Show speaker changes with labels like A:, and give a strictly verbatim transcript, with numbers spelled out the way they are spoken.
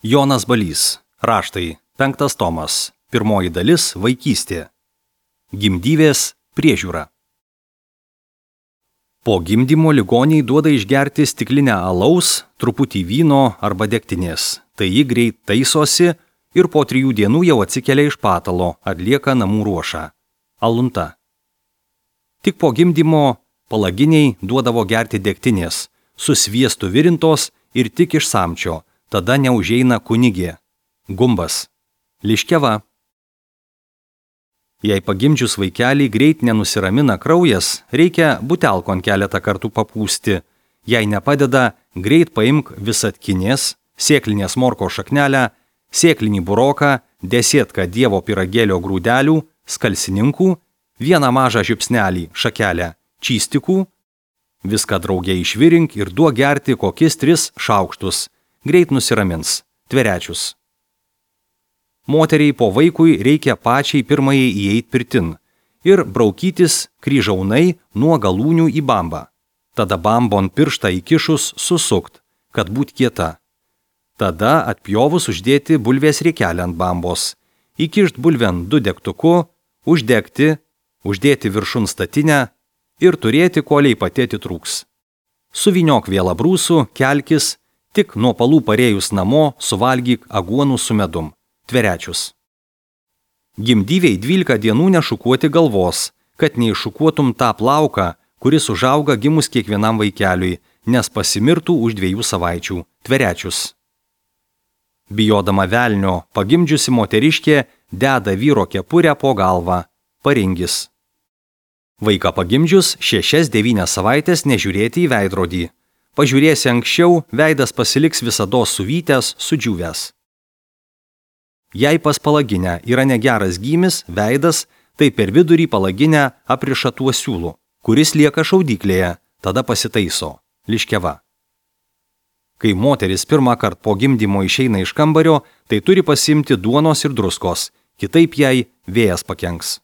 A: Jonas Balys. Raštai. Penktas tomas. Pirmoji dalis – vaikystė. Gimdyvės priežiūra. Po gimdymo ligoniai duoda išgerti stiklinę alaus, truputį vyno arba degtinės. Tai ji greit taisosi ir po trijų dienų jau atsikelia iš patalo, atlieka namų ruošą. Alunta. Tik po gimdymo palaginiai duodavo gerti degtinės, su sviestu virintos ir tik iš samčio, tada neužeina kunigė. Gumbas. Liškiava. Jei pagimdžius vaikelį greit nenusiramina kraujas, reikia butelkon keletą kartų papūsti. Jei nepadeda, greit paimk visatkinės, sėklinės morko šaknelę, sėklinį buroką, desietką dievo pyragėlio grūdelių, skalsininkų, vieną mažą žiupsnelį šakelę čystikų, viską drauge išvirink ir duok gerti kokis tris šaukštus. Greit nusiramins. Tverečius. Moteriai po vaikui reikia pačiai pirmajai įeit pirtin ir braukytis kryžaunai nuo galūnių į bambą. Tada bambon pirštą įkišus susukt, kad būt kieta. Tada atpjovus uždėti bulvės riekelę ant bambos, įkišt bulven du degtuku, uždegti, uždėti viršun statinę ir turėti koliai patėti trūks. Suvyniok vėlą brūsų, kelkis, tik nuo palų parėjus namo suvalgyk aguonų su medum. Tverečius. Gimdyviai dvylika dienų nešukuoti galvos, kad neiššukuotum tą plauką, kuris užauga gimus kiekvienam vaikeliui, nes pasimirtų už dviejų savaičių. Tverečius. Bijodama velnio, pagimdžiusi moteriškė deda vyro kepurę po galvą. Paringis. Vaiką pagimdžius šešias devynias savaitės nežiūrėti į veidrodį. Pažiūrėsi anksčiau, veidas pasiliks visados suvytęs, sudžiūvęs. Jei pas palaginę yra negeras gymis, veidas, tai per vidurį palaginę apriša tuo siūlu, kuris lieka šaudyklėje, tada pasitaiso. Liškiava. Kai moteris pirmą kartą po gimdymo išeina iš kambario, tai turi pasimti duonos ir druskos, kitaip jai vėjas pakenks.